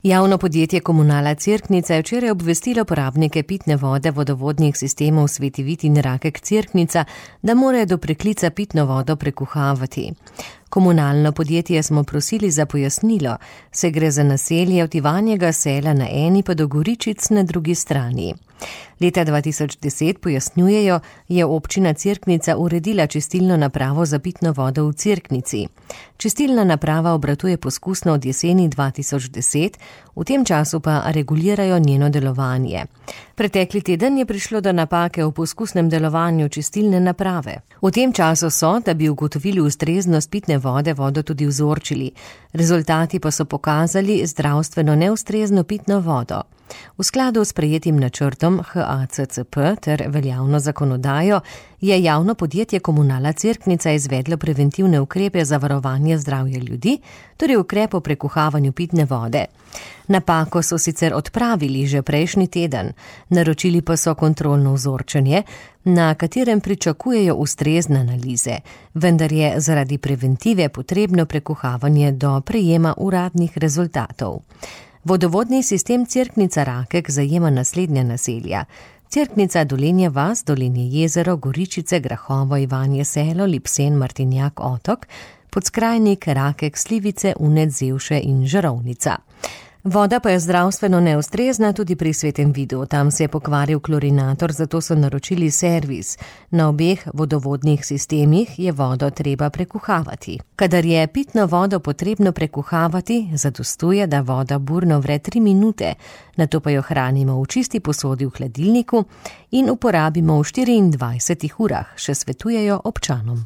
Javno podjetje Komunala Cerknica je včeraj obvestilo porabnike pitne vode vodovodnih sistemov Sveti Vid in Rakek Cerknica, da morajo do preklica pitno vodo prekuhavati. Komunalno podjetje smo prosili za pojasnilo, se gre za naselje od Ivanjega Sela na eni pa do Goričic na drugi strani. Leta 2010, pojasnjujejo, je občina Cerknica uredila čistilno napravo za pitno vodo v Cerknici. Čistilna naprava obratuje poskusno od jeseni 2010, v tem času pa regulirajo njeno delovanje. Pretekli teden je prišlo do napake v poskusnem delovanju čistilne naprave. V tem času so, da bi ugotovili ustreznost pitne vode, vodo tudi vzorčili. Rezultati pa so pokazali zdravstveno neustrezno pitno vodo. V skladu s sprejetim načrtom HACCP ter veljavno zakonodajo je javno podjetje Komunala Cerknica izvedlo preventivne ukrepe za varovanje zdravja ljudi, torej ukrep o prekuhavanju pitne vode. Napako so sicer odpravili že prejšnji teden, naročili pa so kontrolno vzorčenje, na katerem pričakujejo ustrezne analize, vendar je zaradi preventive potrebno prekuhavanje do prejema uradnih rezultatov. Vodovodni sistem Cerknica Rakek zajema naslednja naselja: Cerknica, Dolenje vas, Dolenje jezero, Goričice, Grahovo, Ivanje Selo, Lipsen, Martinjak, Otok, Podskrajnik, Rakek, Slivice, Unec, Zevše in Žarovnica. Voda pa je zdravstveno neustrezna tudi pri Svetem Vidu. Tam se je pokvaril klorinator, zato so naročili servis. Na obeh vodovodnih sistemih je vodo treba prekuhavati. Kadar je pitno vodo potrebno prekuhavati, zadostuje, da voda burno vre 3 minute, nato pa jo hranimo v čisti posodi v hladilniku in uporabimo v 24 urah, še svetujejo občanom.